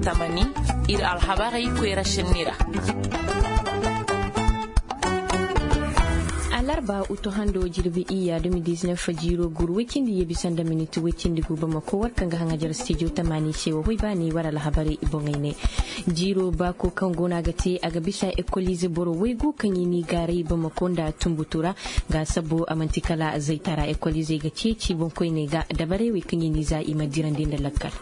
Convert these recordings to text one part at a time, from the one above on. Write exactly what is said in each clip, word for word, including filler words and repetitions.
Tamani, ir alhabarey koyra šenni ra. Alarba uto hando jirbi iyya dumi diznef jiiro gur woy cindi yebi sanda minit woy cindi gu bamako war kaŋ ga haŋajar stijo tamani se wo hoy baani war alhabarey boŋey ne. Jiiro baako kaŋ go no a ga te a ga bisa ekolize boro woy gu kaŋ i n'i gaaray bamako nda tunbutu ra. Ga sabbo a man'ti kala zaytara ekolizey ga ceeci boŋkoyney ga dabarey wey kaŋ i n'i za i ma dirandi nda lakkal.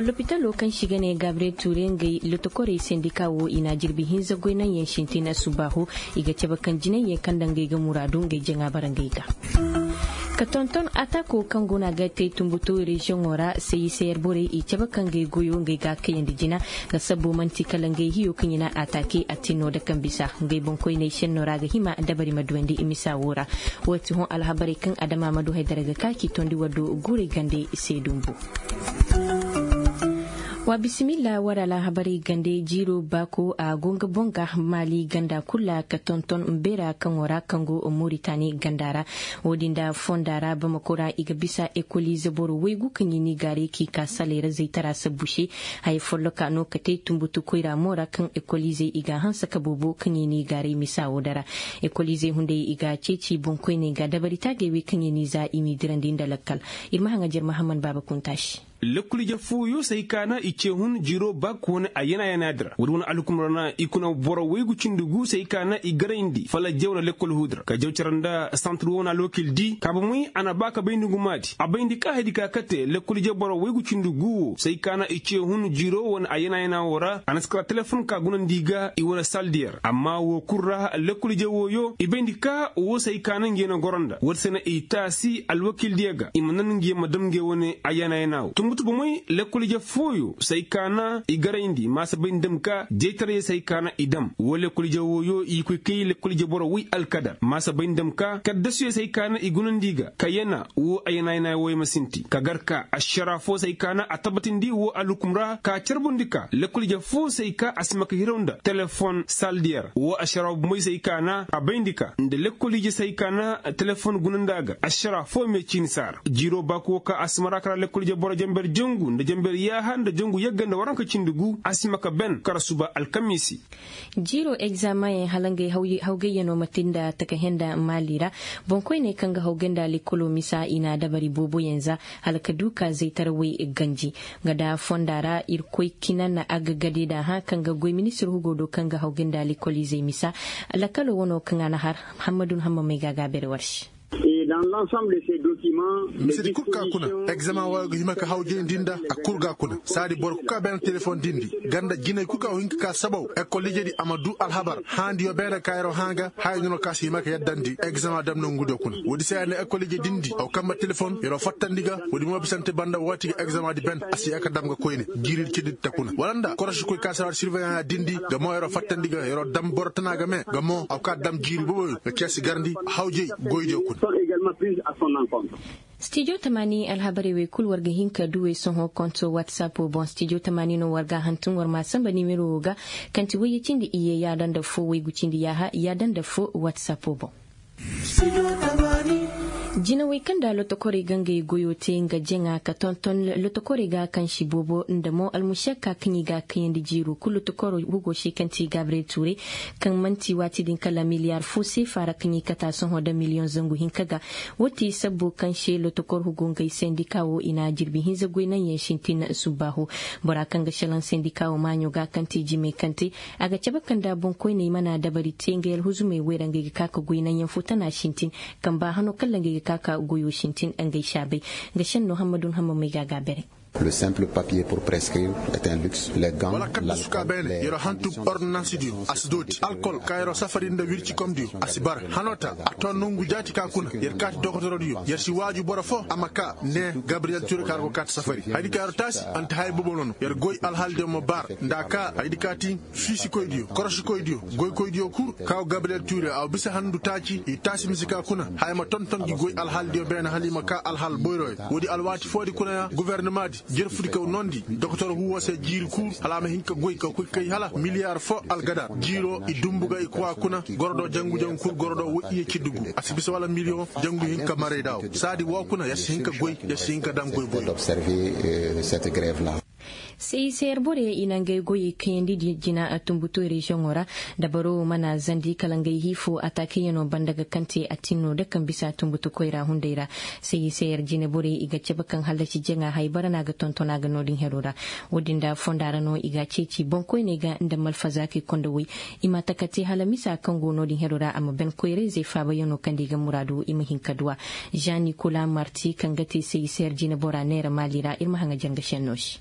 Lopitalo kaŋ se i ga ne gabre ture ngey lotokorey sendika wo i na jirbi hinza goy naŋ yaŋ sintin subbaahu. I ga cabe kaŋ jinay yaŋ kaŋ nda ngey ga muraadu ngey jaŋa bara ngey ga. Ka tonton atako kaŋ go no a ga te tunbutu reziyoŋo ra, seyiseyer borey i cabe kaŋ ngey goyo ngey ga a kayandi jina. Ga sabbo man'ti kala ngey hiyo kaŋ i na atake a tin no da kaŋ bisa ngey boŋkoyney senno ra ga hima dabari ma duwandi i misa wo ra. Wo ti hõ alhabarey kaŋ adama ma du haydara ga ka k'i tondi waddo guurey gande se dumbu. Wa bisimilla war alhabarey gande jiiro baako a go nga boŋ ga maali ganda kulu ra ka tonton mbeera kaŋo ra kaŋ go moritani ganda ra. Wo-din da fonda ra bamako ra i ga bisa ekolize boro waygu kaŋ i n'i gaaray k'i ka saley ra zaytara sabbu se. Haya folloka no ka te tunbutu koyra mo ra kaŋ ekolizey i ga a hanse ka boobo kaŋ i n'i gaaray misa wo dara. Ekolizey hunday i ga a ceeci boŋkoyney ga dabari taagey wey kaŋ i n'i za i m'i dirandi nda lakkal. Ir ma haŋajer mahamman baaba kunta se. Lekkol ije fooyo se ay kaana i ce hun jiro bak wane a yana yana dira woodi wane alhukum ra na i kuna boro waygu cindi gu se ay kaana i garayndi fala jaw na lekkol huudira ka jaw cara nda santir wo wane alwakil di ka bomey a na ba ka bayndi ngu maadi a bayndi ka haydi ka kate lekkol ije boro waygu cindi gu wo se ay kaana i ce hun jiro wane a yana yana wo ra a na si kala telefon ka gunandi i ga i wane saldiyer amma wo kul ra lekkol ije wooyo i bayndi ka wo se ay kaana nge na goro nda woodi se na i taasi alwakil diyo ga i ma nan nge ma dam nge wane a yana yana wo tunbutu bomey lekkol ije fooyo se ay kaana i garayndi maasa bayndi dam ka jaytaray se ay kaana i dam wo lekkol ije wooyo i koy kay lekkol ije boro way alkadar maasa bayndi dam ka kaddasuyo se ay kaana i gunandi i ga ka yana wo a yana yana wooyo ma sinti ka gar ka ašara foo se ay kaana a tabbatindi wo alhukum ra ka carbundi ka lekkol ije foo se ay ka a si ma ka hiraw nda telefon saldiyer wo ašara bomey se ay kaana a bayndi ka nda lekkol ije se ay kaana telefon gunandi a ga ašara foo me ciini saara jiiro baako ka a si mara kara lekkol ije boro janber jangu nda janber yaaha nda jangu yagga nda waranka cindi gu a si ma ka ben kara suba alkamiisi. Jiiro egzamaŋ yaŋ hala ngey hawgayyanoo ma te nda takahenda maali ra. Boŋkoyney kaŋ ga hawgay nda lekoloo misa i na dabari booboyaŋ za hala ka du ka zaytarawey ganji. Nga da fonda ra irkoy kina na a ga gade da hã kaŋ ga goy ministir hugo do kaŋ ga hawgay nda lekolizey misa. Lakaloo wanoo kaŋ a na har. Hammadun hammamey ga a ga a bere war se. Misedi kul ka kuna egzamaŋ waayo ga hima ka hawjayndi nda a kul ga kuna saadi boro kul ka beene telefon dindi ganda jinay kul ka go hin ka ka sabaw ekol ijedi a ma du alhabar hãandiyo beene ka yeroo hã ga haya nono ka si hima ka yaddandi egzamaŋ dam nongudiyo kuna woodi se ya ne ekol ije dindi a go kambe telefon yeroo fattandi ga woodi mo bisante banda waati ga egzamaŋ di ben a si ya ka dam ga koyne jiiri di cindi di ta kuna wala nda korosikoy ka si ra sirveyaŋ ya dindi ga mo yeroo fattandi ga yeroo dam boro tana ga me ga mo a go ka dam jiiri boboyo ga ceesi garndi hawjay goydiyo kuna. Stijo tamaani alhabarey wey kul war ga hin ka duwey sohõ konto watsapo boŋ stijo tamaani no war ga a hantum war ma a samba nimero wo ga kaŋ ti wayye cindi iyye yaada nda fo waygu cindi yaaha yaada nda fo watsapo boŋ. Jinawey kaŋ nda lotokorey ga ngey goyo te nga jaŋa ka tonton lotokorey ga kaŋ si boobo nda mo almušakka kaŋ i ga a kayandi jiiro kul lotokoro hugo se kaŋ ti gabriyel tuure kaŋ man'ti waati din kala miliyar fo seefa ra kaŋ i kata sohõ nda miliyoŋ zangu hinka ga. Wo ti sabbo kaŋ se lotokor hugo ngey sendika wo i na jirbi hinza goy naŋ yaŋ sintin subbaahu. Bora kaŋ ga šelaŋ sendika wo maaɲo ga kaŋ te jimey kaŋ te a ga cabe kaŋ nda boŋkoyney mana dabari te ngey alhuzumey wey ra ngey ga ka ka goy naŋ yaŋ fo tana sintin. Kaŋ ba hano kala ngey ga ka ka goyo sintin ngey saabay. Nga senno hammadun hammamey ga a ga a bere. Wala kaŋ da suka beene yeroo hantum ordonansidiyo a si dooti alkol ka yeroo safari nda wircikomdiyo a si bara hano ta a to nongu jaati ka kuna yer kaati dokotorodiyo yer si waaju boro fo a ma ka ne gabriyel ture ka yer go kaati safari hayadi ka yeroo taasi ante haya boobo no no yer goy alhaaldiyo ma bara nda a ka hayadi ka ti fiisikoydiyo korosikoydiyo goykoydiyo kul ka go gabriyel ture a wa bisa handu taaci i taasi mise ka kuna haya ma tonton gi goy alhaaldiyo beene hala i ma ka alhaal boyroyo woodi alwaati foodi kuna ya gofornamaadi jerfudi ka nondi dokotor huwo se jiiri kul hala a ma hin ka goy ka koy kay hala miliyar fo algadar jiiro i dumbu ga i kowa kuna gorodo jangu jangu kul gorodo woy iye ciddi gu a si bisa wala miliyoŋ jangu hin ka maray da wo saadi wo kuna yer si hin ka goy yer si hin ka daŋ goy boy. Seyiseyer borey i na ngey goyey kayandi jina a tumbutu reziyoŋo ra. Dabaro wo mana zandi kala ngey hiifo ataakayano banda ga kante a tinno da kaŋ bisa tumbutu koyra hunday ra. Seyiseyer jina borey i ga cabe kaŋ hallasi jaŋa haybara no a ga tonton a ga no-din hero ra. Wo-din da fonda ra no i ga a ceeci boŋkoyney ga nda malfazaakey konda woy. I ma takate hala misa kaŋ go no-din hero ra a ma ben koyrayzey faabayano kaŋ da i ga muraadu i ma hin ka du a. Jean nicolas marti kaŋ ga te seyiseyer jina bora neera maali ra ir ma haŋa janga senno se.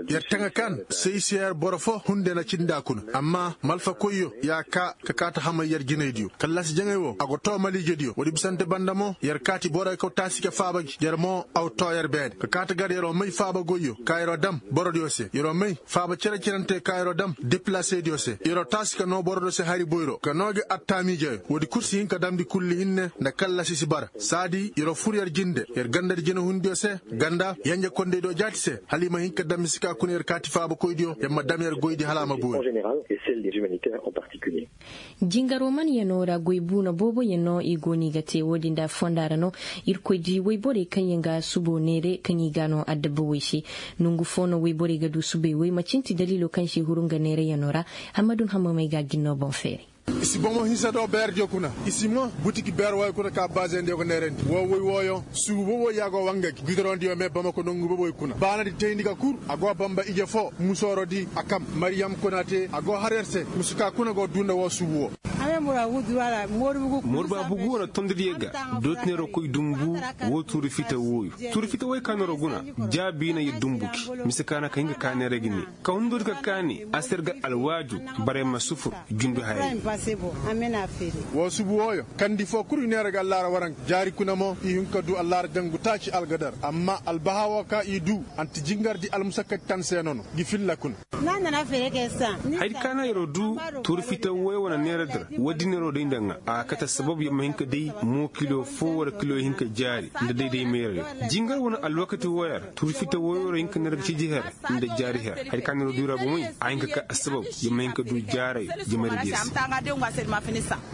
Yer taŋa kaan seyseyar boro fo hunde na cindi a kuna amma malfakoyyo ya kaa ka kaata hamay yer jinaydiyo kallasi jaŋay wo a go too maliijediyo woodi bisante banda mo yer kaati boroy kaw taasi ka faaba gi yer mo aw too yer beene ka kaata gar yeroo may faaba goyyo ka yeroo dam borodiyo se yeroo may faaba cere-cerante ka yeroo dam depilasediyo se yeroo taasi ka noo borodiyo se hari boyro ka noo gi attaamiijeyo woodi kul si hin ka damndi kulli hinne nda kallasi si bara saadi yeroo fur yer jinde yer gandadi jinahundiyo se ganda yenje kondeydiyo jaati se hala i ma hin ka dam i si ka kuna yer kaati faabakoydiyo yer ma dam yer goydi hala a ma boori. Jingaroo manyanoo ra goy buuna booboyaŋ no i go no i ga te wo-din nda fonda ra no. Irkoy di woyborey kaŋyaŋ ga suboo neere kaŋ i ga a no adabba woy se. Nongu foo no woyborey ga du subey woy macin ti daliiloo kaŋ se huru nga neerayaŋoo ra. Hammadun hammamey ga a gin no boŋ feeray. I si bomo hinsa do beerdiyo kuna. I si mo butiki beer wooyo kuna ka baazendiyo ga neerandi woo woy wooyo suubu boboy ya go wanga gi gudoroŋdiyo mee bamako nongu boboy kuna baanadi tayndi ga kur a go bamba ije foo musoorodi a kam mariyam kuna te a go har yer se musu ka kuna go duu nda woo suubu woo. Morbaabu gu wane tondidiyo ga dootinero koy dumbu. Woo tuuri fita wooyo tuuri fita wooyo ka neero guna jaabi na yer dumbu gi mise ka na ka hin ka kaa neera gi ne ka hundudi ka kaani a si yer ga alwaaju. Barey ma sufur jundu hayey. Woo subu wooyo kandi foo kul i neera ga allaara waranka jaari kuna mo i hin ka duu allaara jangu taaci algadar amma albahaa woo ka i duu anti jingardi almusakkati tan se nono. Gi filla kuna. Hayadi ka na yeroo duu tuuri fita wooyo wane neera di ra woodi neeroo day nda ŋaa a ga kate assabab yer ma hin ka day moo kilo foo wala kilo hinka jaari nda day day meerayo. Jingar wane alwakati wooyo ra tuuri fita wooyo ra hinka neera ga ciji her nda jaari her. Hayadi ka neeroo duu ra bomey a hinka ka assabab yer ma hinka duu jaarayo. Jamaradiyo se.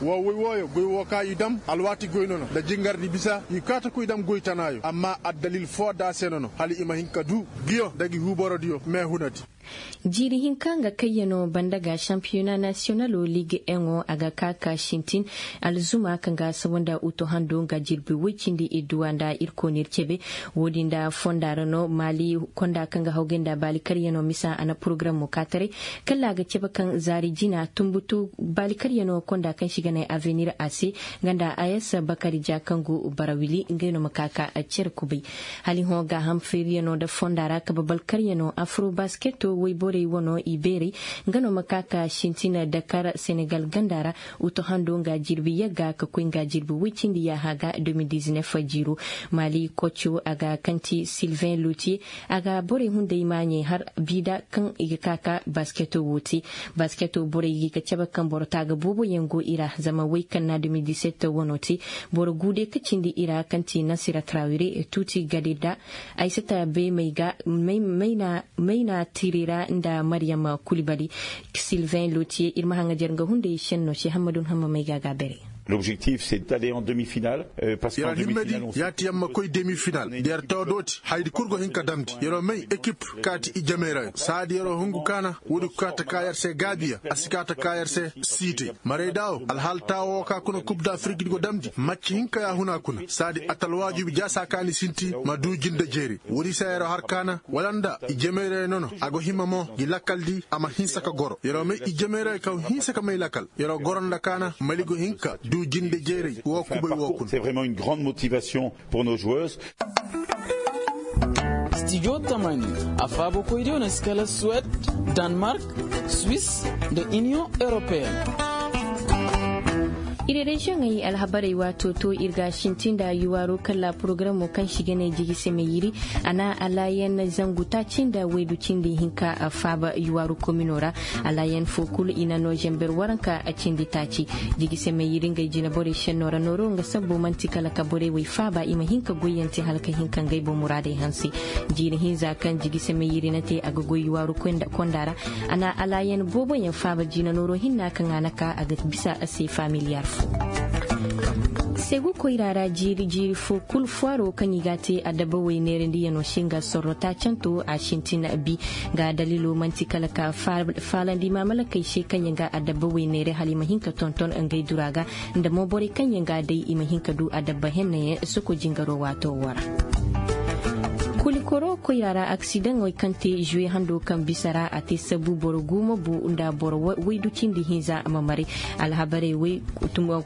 Woo woy wooyo goy woo ka i dam alwaati goy nono nda jingardi bisa i kaata koy dam goy tanaayo amma addalil foo da se nono hala i ma hin ka duu. Giyo nda gi huuborodiyo meehunadi. Jiiri hinka nga kayyanoo banda ga sampiyona nasiyonaloo liig eŋo a ga kaa ka sintin. Alzuma kaŋ ga sabo nda uto hando nga jirbi woy cindi idduwa nda ir koonir cebe. Woodin nda fonda ra no maali konda kaŋ ga hawgay nda baali karyanoo misa a na porogaram mo kaa taray. Kala a ga cebe kaŋ zaari jina tumbutu baali karyanoo konda kaŋ se i ga ne avenir a se. Nga nda a s bakari ja kaŋ go bara wili ngey no ma kaa ka cere kubay. Hala i hõ gaaham feeriyanoo nda fonda ra kabe balkaryanoo afro basketo woyborey wanoo i beerey. Nga no ma ka ka sintina dakar senegal ganda ra. Uto hando nga jirbi yagga ka koy nga jirbi woy cindi yaaha ga de mil dizinef jiiro. Maali koco a ga kaŋ ti silvin lotiye. A ga borey hunday maaɲey har biida kaŋ i ga ka ka basketo woo te. Basketo borey ga i ga cabe kaŋ boro taaga booboyaŋ go i ra zama woy kaŋ na de mil diset wanoo te. Boro guude ka cindi i ra kaŋ ti nasira trawire tuuti gade nda. Aysata beemey ga mayna tiri ra nda maryam kulibali. Silvin lotiye ir ma haŋajer nga hunday senno se hammadun hammamey ga a ga a beray. Lobjektif se dale en demi final. Yeroo himmedi yaati yer ma koy demi final da yer too dooti hayadi kul go hin ka damndi yeroo may ekip kaati ijemey ra saadi yeroo hungu kaana. Woodi kaata ka yer se gaabiya a si kaata ka yer se siitey marayda wo alhaal taawo woo ka kuna kub da afirikdi go damndi macci hinka yaahuna kuna saadi atalwaajubi jaasa kaani sinti ma duu jinde jeeri. Woodi se yeroo har kaana wala nda ijemey ra nono a go hima mo gi lakkaldi a ma hinsa ka goro yeroo may ijemey ra kaw hinsa ka may lakkal. Yeroo goro nda kaana mali go hin ka duu jinde jeeri woo kubay woo kuna. Stijo tamani a faabakoydiyo na si kala suwed, danmark, swis, nda iniyoŋ europeen. Ir reziyoŋey alhabarey waato to ir ga a sinti nda yuwaaro kala porogaramo kaŋ si ga ne jigi seme yiri. A na alaayan zangu taaci nda waydu cindi hinka faaba yuwaaru komino ra. Alaayan foo kul i na noo zember waranka cindi taaci. Jigi seme yiri ngey jinaborey senno ra nooro nga sabbo man'ti kala ka borey wey faaba i ma hin ka goyyaŋ te hala ka hin ka ngey boŋ muraadey hanse. Jiiri hinza kaŋ jigi seme yiri na te a ga goy yuwaaru konda ra. A na alaayan booboyaŋ faaba jiina nooro hinna kaŋ a na ka a ga bisa a se familiyar foo. Segu koyra ra jiiri jiiri fo kul fuwaro kaŋ i ga a te adabba wayneerandiyanoo se nga sorro taacanto a sintin bi. Nga dalilo man'ti kala ka faalandi maamalakey se kaŋ yaŋ ga adabba wayneere hala i ma hin ka tonton ngey dura ga, nda mo borey kaŋ yaŋ ga a day i ma hin ka du adabba hennayaŋ soko jingaroo waatoo woo ra. Kulikoro koyra ra aksidaŋey kaŋ te zuwe hando kaŋ bisa ra a te sabu boro guuma bu nda boro waydu cindi hinza a ma maray. Alhabarey way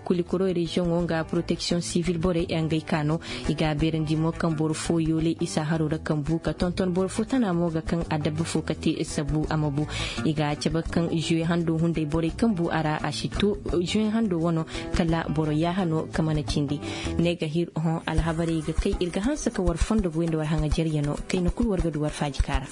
kulikoro reziyoŋo nga poroteksiyoŋ sivil borey ngey ka no. I ga a beerandi mo kaŋ boro fo yooley isa haroo ra kaŋ bu ka tonton boro fo tana mo ga kaŋ adabba fo ka te sabu a ma bu. I ga a cabe kaŋ zuwe hando hunday borey kaŋ bu a ra a si to zuwe hando wano kala boro yaaha no ka mana cindi. Ne ga hir hõ alhabarey ga kay ir ga hanse ka war fondo ga way nda war haŋa jaryanoo kayna kul war ga du war faaji kaara.